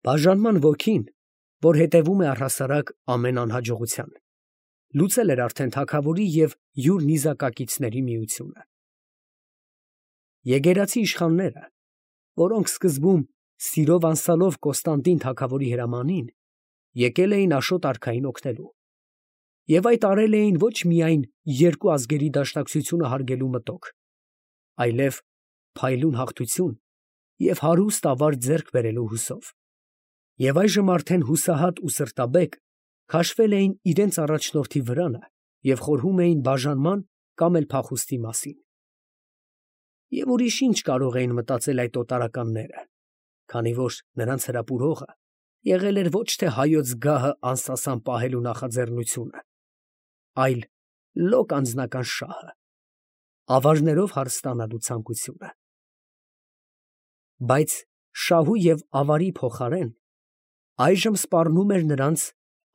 Բաժանման ոգին, որ հետևում է առհասարակ ամեն անհաջողության, լուծել էր արդեն թագավորի և յուր նիզակակիցների միությունը։ Եգերացի իշխանները, որոնք սկզբում սիրով անսալով Կոստանդին թագավորի հրամանին, եկել էին Աշոտ արքային օգնելու, և այդ արել էին ոչ միայն երկու ազգերի դաշնակցությունը հարգելու մտոք, այլև փայլուն հաղթություն և հարուստ ավարտ ձեռք բերելու հուսով, և այժմ արդեն հուսահատ ու սրտաբեկ քաշվել էին իրանց առաջնորդի վրանը և խորհում էին բաժանման կամ էլ փախուստի մասին։ Եվ ուրիշ ինչ կարող էին մտածել այդ օտարականները, քանի որ նրանց հրապուրողը եղել էր ոչ թե հայոց գահը անսասան պահելու նախաձեռնությունը, այլ լոկ անձնական շահը, ավարներով հարստանալու ցանկությունը։ Բայց շահու և ավարի փոխարեն այժմ սպառնում էր նրանց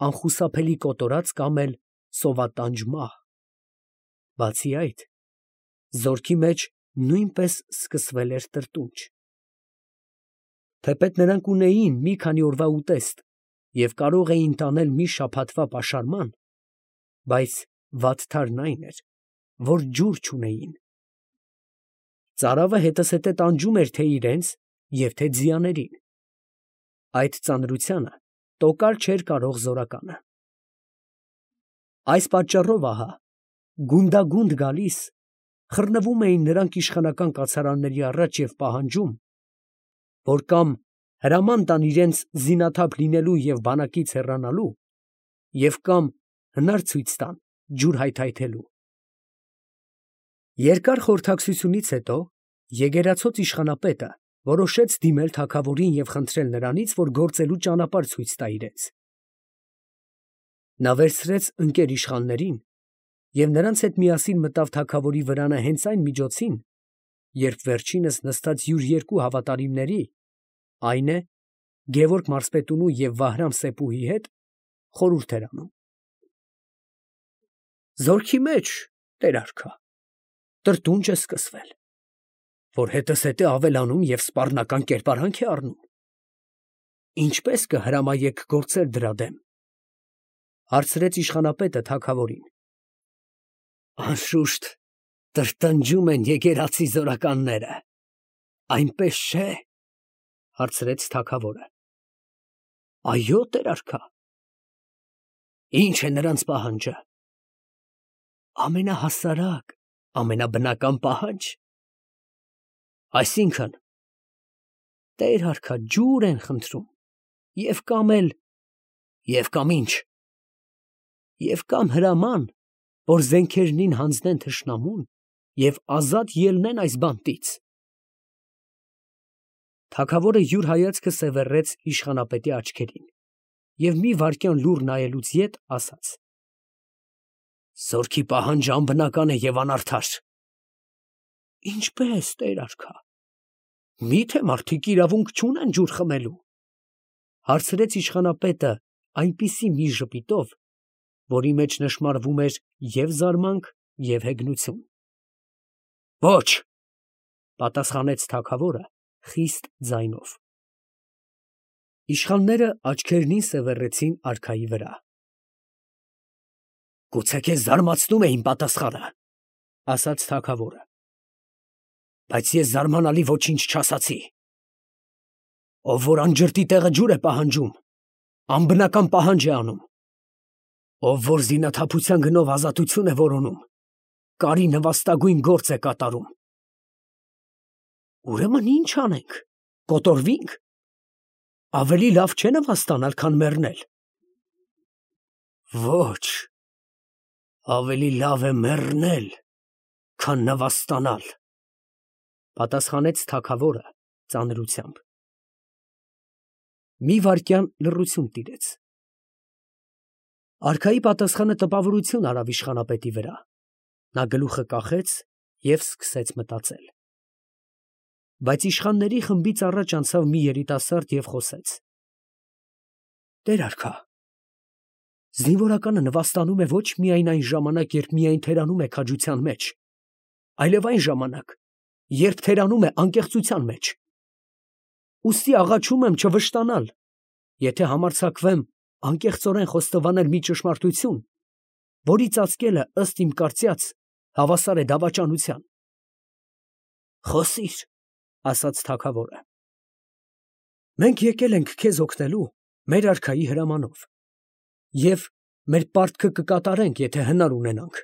անխուսափելի կոտորած կամ էլ սովատանջ մահ։ Բացի այդ, զորքի մեջ նույնպես սկսվել էր տրտունջ։ Թեպետ նրանք ունեին մի քանի օրվա ուտեստ և կարող էին տանել մի շաբաթվա պաշարման, բայց վատթարն այն էր, որ ջուր չունեին։ Ծարավը հետզհետե տանջում էր թե իրենց և թե ձիաներին։ Այդ ծանրությանը տոկալ չէր կարող զորականը։ Այս պատճառով ահա, գունդագունդ գալիս, խռնվում էին նրանք իշխանական կացարանների առաջ և պահանջում, որ կամ հրաման տան իրենց զինաթափ լինելու և բանակից հեռանալու, և կամ հնար ցույց տան ջուր հայթայթելու։ Երկար խորհրդակցությունից հետո եգերացած իշխանապետը որոշեց դիմել թագավորին և խնդրել նրանից, որ գործելու ճանապարհ ցույց տա իրենց։ Նա վերցրեց ընկեր իշխաններին և նրանց հետ միասին մտավ թագավորի վրանը հենց այն միջոցին, երբ վերջինս նստած յուր երկու հավատարիմների, այն է Գևորգ մարզպետունու և Վահրամ սեպուհի հետ, խորհուրդ էր անում։ Զորքի մեջ, տեր արքա, տրտունջ է սկսվել, որ հետզհետե ավելանում և սպառնական կերպարանք է առնում. ինչպե՞ս կհրամայեք գործել դրա դեմ, ֊ հարցրեց իշխանապետը թագավորին։ Անշուշտ տրտնջում են եկեղեցի զորականները, այնպես չէ, ֊ հարցրեց թագավորը։ Այո, տեր արքա։ Ի՞նչ է նրանց պահանջը։ Ամենահասարակ, ամենաբնական պահանջ։ Այսինքն, տեր արքա, ջուր են խնդրում, և կամ ինչ, և կամ հրաման, որ զենքերնին հանձնեն թշնամուն և ազատ ելնեն այս բանտից։ Թագավորը յուր հայացքը սևեռեց իշխանապետի աչքերին և մի վայրկյան լուռ նայելուց ետ ասաց. Զորքի պահանջը անբնական է և անարդար։ Ինչպե՞ս, տեր արքա, մի՞թե մարդիկ իրավունք չունեն ջուր խմելու, ֊ հարցրեց իշխանապետը այնպիսի մի ժպիտով, որի մեջ նշմարվում էր և զարմանք, և հեգնություն։ Ոչ, ֊ պատասխանեց թագավորը խիստ ձայնով։ Իշխանները աչքերնին սևեռեցին արքայի վրա։ Գուցե քեզ զարմացնում է իմ պատասխանը, ֊ ասաց թագավորը, բայց ես զարմանալի ոչինչ չասացի։ Ով որ անջրտի տեղը ջուր է պահանջում, անբնական պահանջ է անում։ Ով որ զինաթափության գնով ազատություն է որոնում, կարի նվաստագույն գործ է կատարում։ Ուրեմն ի՞նչ անենք, կոտորվի՞նք։ Ավելի լավ չէ նվաստանալ, քան մեռնել։ Ոչ, ավելի լավ է մեռնել, քան նվաստանալ, ֊ պատասխանեց թագավորը ծանրությամբ։ Մի վայրկյան լռություն տիրեց։ Արքայի պատասխանը տպավորություն արավ իշխանապետի վրա։ Նա գլուխը կախեց և սկսեց մտածել։ Բայց իշխանների խմբից առաջ անցավ մի երիտասարդ և խոսեց. Տեր արքա, զինվորականը նվաստանում է ոչ միայն այն ժամանակ, երբ միայն թերանում է քաջության մեջ, այլև այն ժամանակ, երբ թերանում է անկեղծության մեջ։ Ուստի աղաչում եմ չվշտանալ, եթե համարձակվեմ անկեղծորեն խոստովանել մի ճշմարտություն, որի ծածկելը ըստ իմ կարծյաց հավասար է դավաճանության։ Խոսիր, ասաց թագավորը։ Մենք եկել ենք քեզ օգնելու մեր արքայի հրամանով և մեր պարտքը կկատարենք, եթե հնար ունենանք։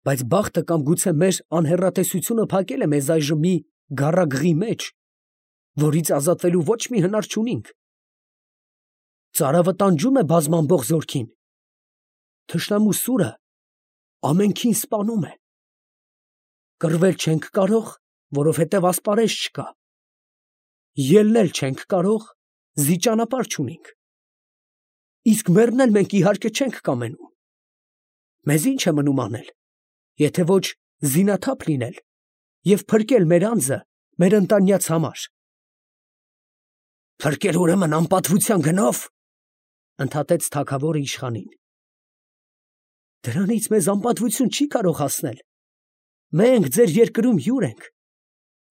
Բայց բախտը կամ գուցե մեր անհեռատեսությունը փակել է մեզ այժմ մի գառագրի մեջ, որից ազատվելու ոչ մի հնար չունենք։ Ծարավը տանջում է բազմամբող զորքին։ Թշնամու սուրը ամենքին սպանում է։ Կռվել չենք կարող, որովհետև ասպարեզ չկա։ Ելնել չենք կարող, զի ճանապարհ չունենք։ Իսկ մեռնել մենք իհարկե չենք կամենում։ Մեզ ինչ է մնում անել, եթե ոչ զինաթափ լինել և փրկել մեր անձը մեր ընտանյաց համար։ Փրկել ուրեմն անպատվության գնով, ընդհատեց թագավորը իշխանին։ Դրանից մեզ անպատվություն չի կարող հասնել։ Մենք ձեր երկրում հյուր ենք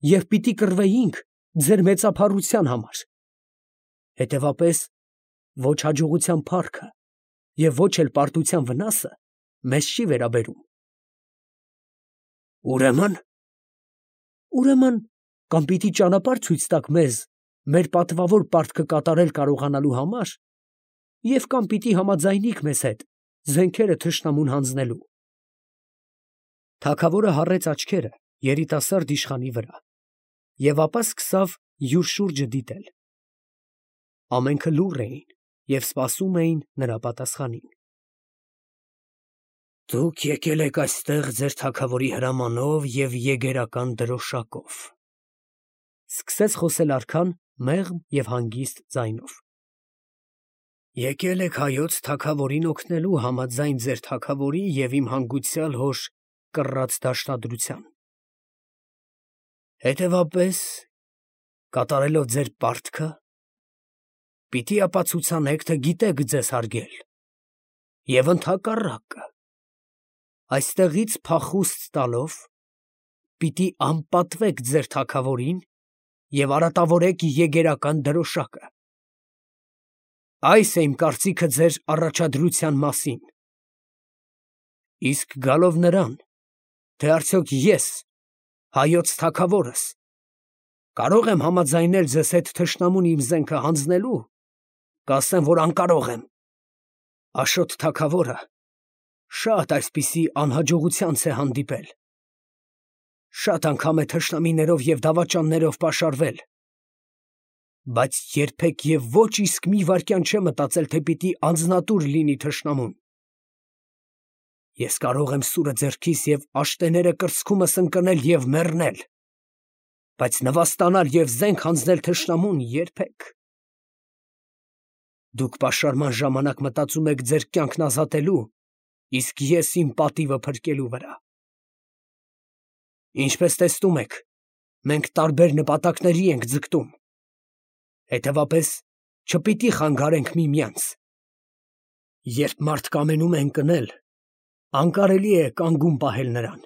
և պիտի կռվեինք ձեր մեծափառության համար։ Հետևապես ոչ հաջողության փառքը և ոչ էլ պարտության վնասը մեզ չի վերաբերում։ Ուրեմն կամ պիտի ճանապարհ ցույց տաք մեզ մեր պատվավոր պարտքը կատարել կարողանալու համար, և կամ պիտի համաձայնիք մեզ հետ զենքերը թշնամուն հանձնելու։ Թագավորը հառեց աչքերը երիտասարդ իշխանի վրա և ապա սկսավ յուր շուրջը դիտել։ Ամենքը լուռ էին և սպասում էին նրա պատասխանին։ Դուք եկել եք այստեղ ձեր թագավորի հրամանով և եգերական դրոշակով, սկսեց խոսել արքան մեղմ և հանգիստ ձայնով։ Եկել եք հայոց թագավորին օգնելու համաձայն ձեր թագավորի և իմ հանգուցյալ հոր կռած դաշնադրության։ Հետևապես, կատարելով ձեր պարտքը, պիտի ապացուցանեք, թե գիտեք ձեզ հարգել, և ընդհակառակը, այստեղից փախուստ տալով, պիտի անպատվեք ձեր թագավորին և արատավորեք եգերական դրոշակը։ Այս է իմ կարծիքը ձեր առաջադրության մասին։ Իսկ գալով նրան, թե արդյոք ես, հայոց թագավորս, կարո՞ղ եմ համաձայնել ձեզ հետ թշնամուն իմ զենքը հանձնելու, կասեմ, որ անկարող եմ։ Աշոտ թագավորը շատ այսպիսի անհաջողությանց է հանդիպել։ Շատ անգամ է թշնամիներով և դավաճաններով պաշարվել, բայց երբեք և ոչ իսկ մի վայրկյան չէ մտածել, թե պիտի անձնատուր լինի թշնամուն։ Ես կարող եմ սուրը ձեռքիս և աշտեները կրծքումս ընկնել և մեռնել, բայց նվաստանալ և զենք հանձնել թշնամուն երբեք։ Դուք պաշարման ժամանակ մտածում եք ձեր կյանքն ազատելու, իսկ ես իմ պատիվը փրկելու վրա։ Ինչպես տեսնում եք, մենք տարբեր նպատակների ենք ձգտում, հետևապես չպիտի խանգարենք միմյանց։ Երբ մարդ կամենում է ընկնել, անկարելի է կանգուն պահել նրան։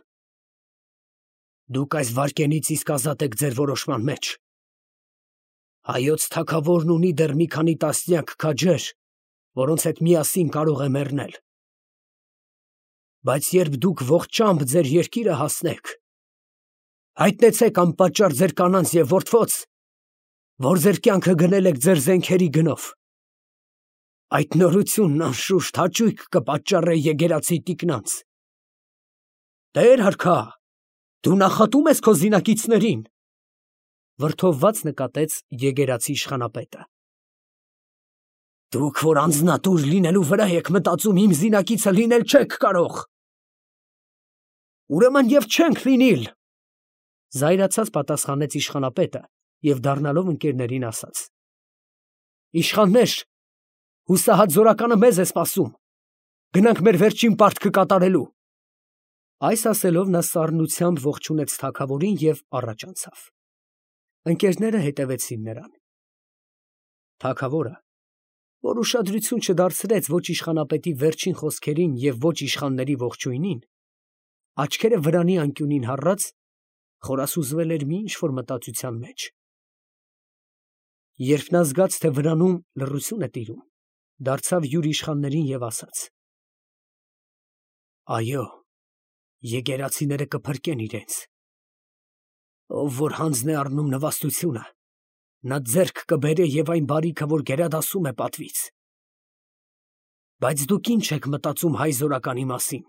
Դուք այս վայրկենից իսկ ազատ եք ձեր որոշման մեջ։ Հայոց թագավորն ունի դեռ մի քանի տասնյակ քաջեր, որոնց հետ միասին կարող է մեռնել։ Բայց երբ դուք ողջամբ ձեր երկիրը հասնեք, հայտնեցեք անպատճառ ձեր կանանց և որդվոց, որ ձեր կյանքը գնել եք ձեր զենքերի գնով։ Այդ նորությունն անշուշտ հաճույք կպատճառե եկեղեցի տիկնանց։ Տեր արքա, դու նախատում ես քո զինակիցներին, վրդովված նկատեց եկեղեցի իշխանապետը։ Դուք, որ անձնատուր լինելու վրա եք մտածում, իմ զինակիցը լինել չեք կարող։ Ուրեմն և չենք լինիլ, զայրացած պատասխանեց իշխանապետը և դառնալով ընկերներին ասաց. Իշխաններ, հուսահատ զորականը մեզ է սպասում, գնանք մեր վերջին պարտքը կատարելու։ Այս ասելով նա սառնությամբ ողջունեց թագավորին և առաջ անցավ։ Ընկերները հետևեցին նրան։ Թագավորը, որ ուշադրություն չդարձրեց ոչ իշխանապետի վերջին խոսքերին և ոչ իշխանների ողջույնին, աչքերը վրանի անկյունին հառած, խորասուզվել էր մի ինչ֊որ մտածության մեջ։ Երբ նա զգաց, թե վրանում լռություն է տիրում, դարձավ յուր իշխաններին և ասաց. «Այո, եկեղեցիները կփրկեն իրենց. ով որ հանձն է առնում նվաստությունը, նա ձեռք կբերե և այն բարիքը, որ գերադասում է պատվից։ Բայց դուք ի՞նչ եք մտածում հայ զորականի մասին։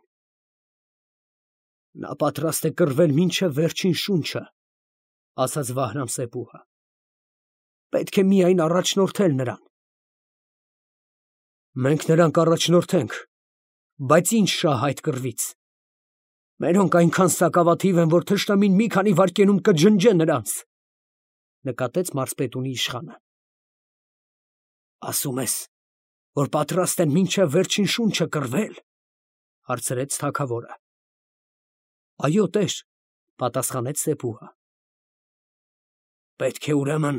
Նա պատրաստ է կռվել մինչև վերջին շունչը, ասաց Վահրամ-Սեփուհը. պետք է միայն առաջնորդել նրան։ Մենք նրան կառաջնորդենք, բայց ի՞նչ շահ այդ կռվից։ Մերոնք այնքան սակավաթիվ են, որ թշնամին մի քանի վայրկյանում կջնջե նրանց, նկատեց մարզպետունի իշխանը։ Ասում ես, որ պատրաստ են մինչև վերջին շունչը կռվել, հարցրեց թագավորը։ Այո, տեր, պատասխանեց Սեփուհը։ Պետք է ուրեմն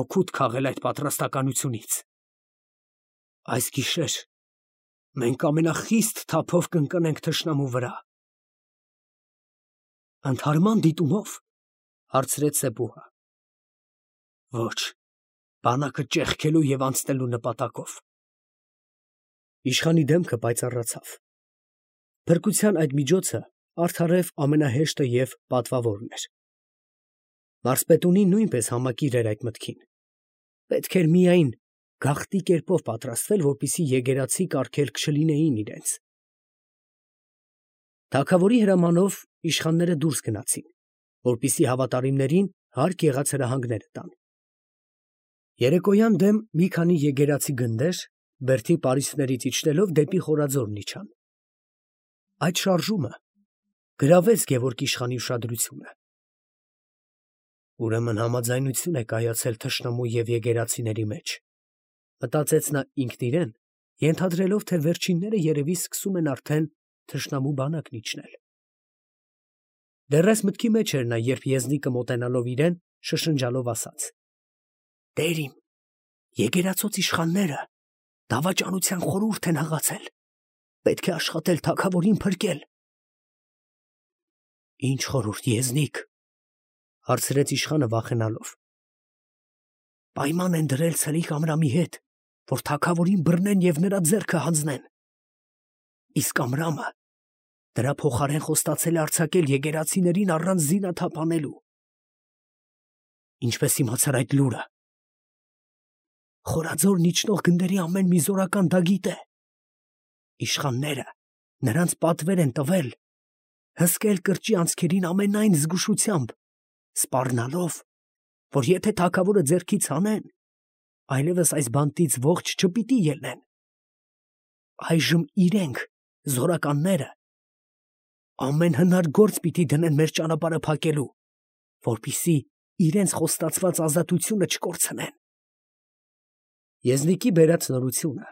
օգուտ քաղել այդ պատրաստականությունից։ Այս գիշեր մենք ամենախիստ թափով կընկնենք թշնամու վրա։ Ընդհարման դիտումով, հարցրեց Սեփուհը։ Ոչ, բանակը ճեղքելու և անցնելու նպատակով։ Իշխանի դեմքը պայծառացավ։ Փրկության այդ միջոցը արդարև ամենահեշտը և պատվավորն էր։ Մարզպետունին նույնպես համակիր էր այդ մտքին։ Պետք էր միայն գաղտնի կերպով պատրաստվել, որպեսզի եկեղեցի կարգելք չլինեին իրենց։ Թագավորի հրամանով իշխանները դուրս գնացին, որպեսզի հավատարիմներին հարկ եղած հրահանգները տան։ Երեկոյան դեմ մի քանի եկեղեցի գնդեր, բերդի պարիսպներից իջնելով դեպի Խորաձորն իջան։ Այդ շարժումը գրավեց Գևորգ իշխանի ուշադրությունը։ Ուրեմն համաձայնություն է կայացել թշնամու և եկեղեցիների մեջ, մտածեց նա ինքն իրեն, ենթադրելով, թե վերջինները երևի սկսում են արդեն թշնամու բանակն իջնել։ Դեռ այս մտքի մեջ էր նա, երբ եզնիկը մոտենալով իրեն, շշնջալով ասաց. Տեր իմ, եկեղեցոց իշխանները դավաճանության խորհուրդ են հղացել, պետք է աշխատել թագավորին փրկել։ Ինչ խորհուրդ, եզնիկ, հարցրեց իշխանը վախենալով։ Պայման են դրել Սլիկ Ամրամի հետ, որ թագավորին բռնեն և նրա ձեռքը հանձնեն։ Իսկ Ամրամը դրա փոխարեն խոստացել է արձակել եկեղեցիներին առանց զինաթափ անելու։ Ինչպես իմացար այդ լուրը։ Խորաձորն իջնող գնդերի ամեն մի զորական դա գիտե։ Իշխանները նրանց պատվեր են տվել հսկել կրճի անցքերին ամենայն զգուշությամբ, սպառնալով, որ եթե թագավորը ձեռքից հանեն, այլևս այս բանտից ողջ չպիտի ելնեն։ Այժմ իրենք, զորականները, ամեն հնար գործ պիտի դնեն մեր ճանապարհը փակելու, որպեսզի իրենց խոստացված ազատությունը չկորցնեն։ Եզնիկի բերած նորությունը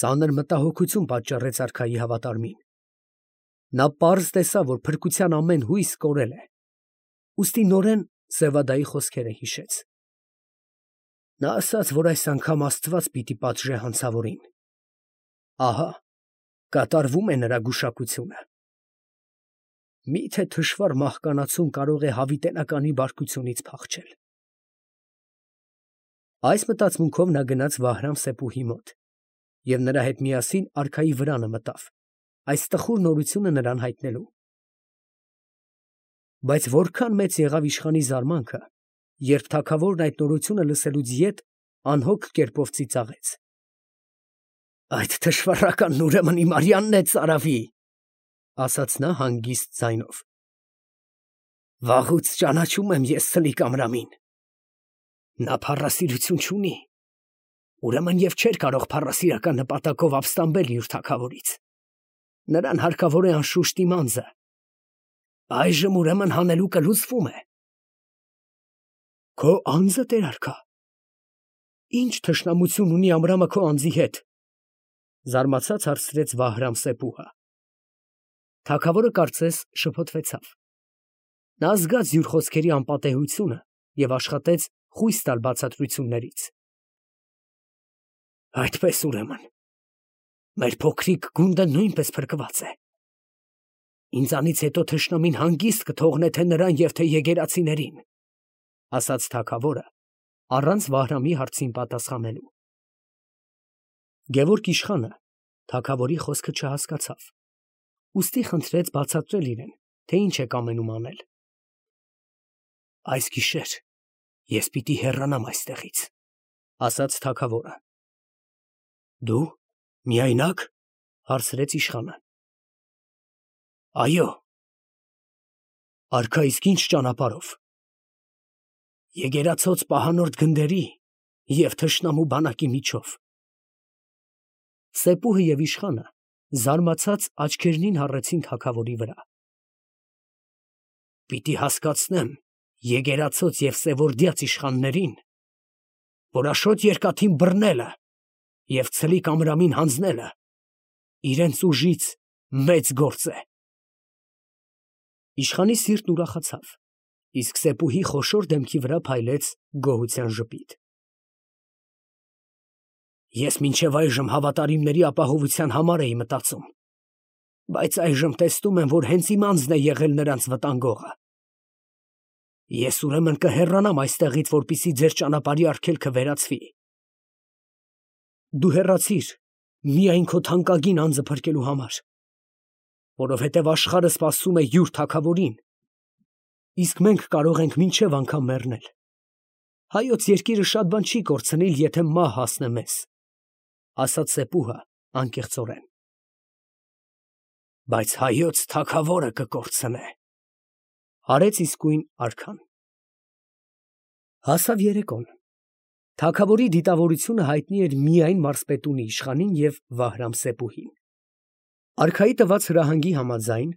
ծանր մտահոգություն պատճառեց արքայի հավատարմին։ Նա պարզ տեսավ, որ փրկության ամեն հույս կորել է, ուստի նորեն Սևադայի խոսքերը հիշեց։ Նա ասաց, որ այս անգամ Աստված պիտի պատժե հանցավորին։ Ահա կատարվում է նրա գուշակությունը։ Միթե թշվառ մահկանացուն կարող է հավիտենականի բարկությունից փախչել։ Այս մտածմունքով նա գնաց Վահրամ-Սեփուհի մոտ և նրա հետ միասին արքայի վրանը մտավ, այս տխուր նորությունը նրան հայտնելու։ Բայց որքան մեծ եղավ իշխանի զարմանքը, երբ թագավորն այդ նորությունը լսելուց ետ անհոգ կերպով ծիծաղեց. Այդ թշվառականն ուրեմն իմ արյանն է ծարավի, ասաց նա հանգիստ ձայնով։ Վաղուց ճանաչում եմ ես Սլիկ Ամրամին։ Նա փառասիրություն չունի, ուրեմն և չէր կարող փառասիրական նպատակով ապստամբել յուր թագավորից։ Նրան հարկավոր է անշուշտ իմ անձը։ Այժմ ուրեմն հանելուկը լուծվում է։ Քո անձը, տեր արքա։ Ինչ թշնամություն ունի Ամրամը քո անձի հետ, զարմացած հարցրեց Վահրամ-Սեփուհը։ Թագավորը կարծես շփոթվեցավ։ Նա զգաց յուր խոսքերի անպատեհությունը և աշխատեց խույս տալ բացատրություններից։ Այդպես ուրեմն, մեր փոքրիկ գունդը նույնպես փրկված է։ Ինձանից հետո թշնամին հանգիստ կթողնե թե նրան և թե եկեղեցիներին, ասաց թագավորը առանց Վահրամի հարցին պատասխանելու։ Գևորգ իշխանը թագավորի խոսքը չհասկացավ, ուստի խնդրեց բացատրել իրեն, թե ինչ է կամենում անել։ Այս գիշեր ես պիտի հեռանամ այստեղից, ասաց թագավորը։ Դու միայնակ, հարցրեց իշխանը։ Այո։ Արքա, իսկ ինչ ճանապարհով։ Եկեղեցոց պահանորդ գնդերի և թշնամու բանակի միջով։ Սեպուհը և իշխանը զարմացած աչքերնին հառեցին թագավորի վրա։ Պիտի հասկացնեմ եկեղեցոց և սևորդյաց իշխաններին, որ Աշոտ Երկաթին բռնելը և Ցլիկ Ամրամին հանձնելը իրենց ուժից մեծ գործ է։ Իշխանի սիրտն ուրախացավ, իսկ Սեպուհի խոշոր դեմքի վրա փայլեց գոհության ժպիտ։ Ես մինչև այժմ հավատարիմների ապահովության համար էի մտածում, բայց այժմ տեսնում եմ, որ հենց իմ անձն է եղել նրանց վտանգողը։ Ես ուրեմն կհեռանամ այստեղից, որպեսզի ձեր ճանապարհի արգելքը վերացվի։ Դու հեռացիր միայն քո թանկագին անձը փրկելու համար, որովհետև աշխարհը սպասում է յուր թագավորին, իսկ մենք կարող ենք մինչև անգամ մեռնել։ Հայոց երկիրը շատ բան չի կորցնիլ, եթե մահ հասնե մեզ, ասաց Սեպուհը անկեղծորեն։ Բայց հայոց թագավորը կկորցնե, արեց իսկույն արքան։ Հասավ երեկոն։ Թագավորի դիտավորությունը հայտնի էր միայն մարզպետունի իշխանին և Վահրամ Սեպուհին։ Արքայի տված հրահանգի համաձայն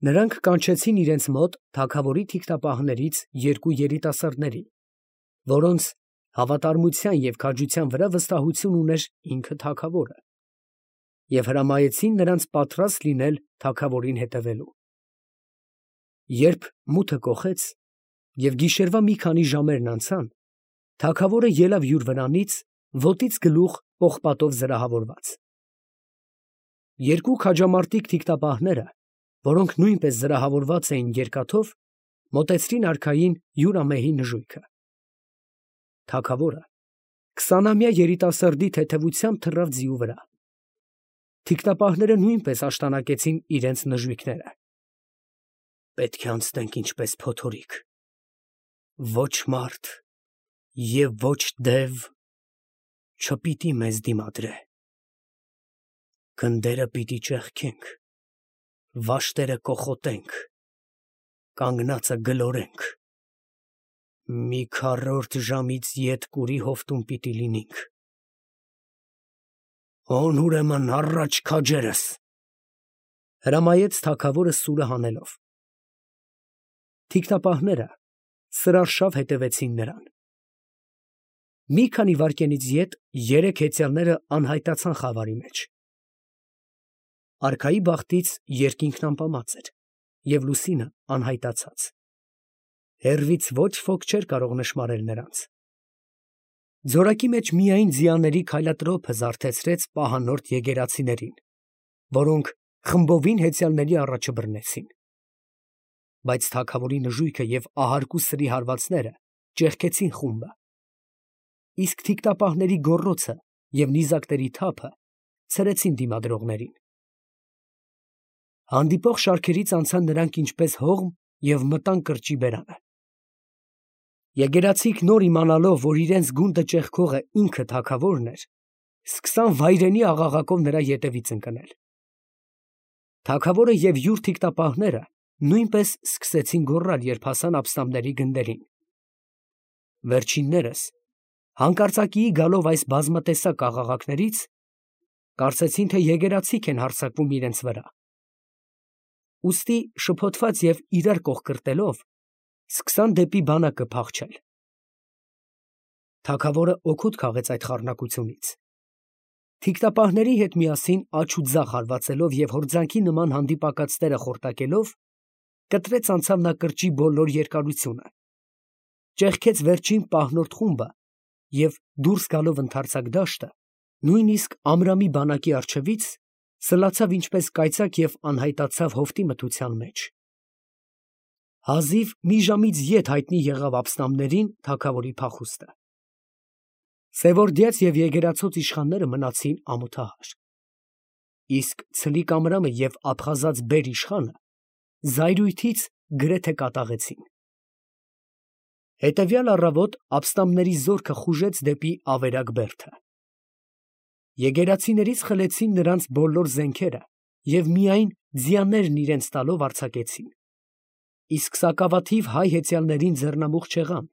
նրանք կանչեցին իրենց մոտ թագավորի թիկնապահներից երկու երիտասարդների, որոնց հավատարմության և քաջության վրա վստահություն ուներ ինքը թագավորը, և հրամայեցին նրանց պատրաստ լինել թագավորին հետևելու։ Երբ մութը կոխեց և գիշերվա մի քանի ժամերն անցան, թագավորը ելավ յուր վրանից, ոտից գլուխ պողպատով զրահավորված։ Երկու քաջամարտիկ թիկնապահները, որոնք նույնպես զրահավորված էին երկաթով, մոտեցրին արքային յուր ամեհի նժույգը։ Թագավորը 20-ամյա երիտասարդի թեթևությամբ թռավ ձիու վրա։ Թիկնապահները նույնպես աշտանակեցին իրենց նժույգները։ Պետք է անցնենք ինչպես փոթորիկ, ոչ մարդ և ոչ դև չպիտի մեզ դիմադրե։ Գնդերը պիտի ճեղքենք, վաշտերը կոխոտենք, կանգնածը գլորենք, մի քառորդ ժամից ետ կուրի հովտում պիտի լինենք։ Հոն ուրեմն առաջ քաջերս, հրամայեց թագավորը սուրը հանելով։ Թիկնապահները սրարշավ հետևեցին նրան։ Մի քանի վայրկյանից ետ երեք հեծյալները անհայտացան խավարի մեջ։ Արքայի բախտից երկինքն ամպամած էր և լուսինը անհայտացած։ Հեռվից ոչ ոք չէր կարող նշմարել նրանց։ Ձորակի մեջ միայն ձիաների քայլատրոփը զարթեցրեց պահանորդ եկեղեցիներին, որոնք խմբովին հեծյալների առաջը բռնեցին։ Բայց թագավորի նժույգը և ահարկու սրի հարվածները ճեղքեցին խումբը, իսկ թիկնապահների գոռոցը և նիզակների թափը ցրեցին դիմադրողներին։ Հանդիպող շարքերից անցան նրանք ինչպես հողմ և մտան կրճի բերանը։ Եկեղեցիք նոր իմանալով, որ իրենց գունդը ճեղքողը ինքը թագավորն էր, սկսան վայրենի աղաղակով նրա ետևից ընկնել։ Թագավորը և յուր թիկնապահները նույնպես սկսեցին գոռալ, երբ հասան աբստամբների գնդերին։ Վերջիններս, հանկարծակիի գալով այս բազմատեսակ աղաղակներից, կարծեցին, թե եկեղեցիք են հարձակվում իրենց վրա։ Ուստի շփոթված և իրար կողկրտելով, սկսան դեպի բանակը փախչել։ Թագավորը օգուտ քաղեց այդ խառնակությունից։ Թիկնապահների հետ միասին աջ ու ձախ հարվածելով և հորձանքի նման հանդիպակացները խորտակելով, կտրեց անցավ նա կրճի բոլոր երկարությունը, ճեղքեց վերջին պահնորդ խումբը և դուրս գալով ընդարձակ դաշտը, նույնիսկ Ամրամի բանակի առջևից, սլացավ ինչպես կայծակ և անհայտացավ հովտի մթության մեջ։ Հազիվ մի ժամից ետ հայտնի եղավ աբստամբներին թագավորի փախուստը։ Սևորդյաց և եկեղեցոց իշխանները մնացին ամոթահար, իսկ Ցլիկ Ամրամը և Աբխազած բեր֊իշխանը զայրույթից գրեթե կատաղեցին։ Հետևյալ առավոտ ապստամբների զորքը խուժեց դեպի Ավերակ Բերդը։ Եկեղեցիներից խլեցին նրանց բոլոր զենքերը և միայն ձիաներն իրենց տալով արձակեցին, իսկ սակավաթիվ հայ հեծյալներին ձեռնամուխ չեղան,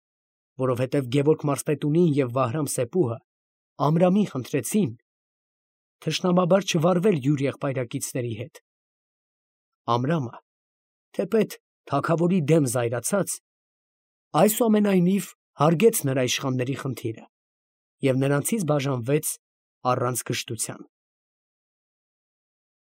որովհետև Գևորգ Մարզպետունին և Վահրամ Սեփուհը Ամրամին խնդրեցին թշնամաբար չվարվել յուր եղբայրակիցների հետ։ Ամրամը, թեպետ թագավորի դեմ զայրացած, այսուամենայնիվ հարգեց նրա իշխանների խնդիրը և նրանցից բաժանվեց առանց կշտության։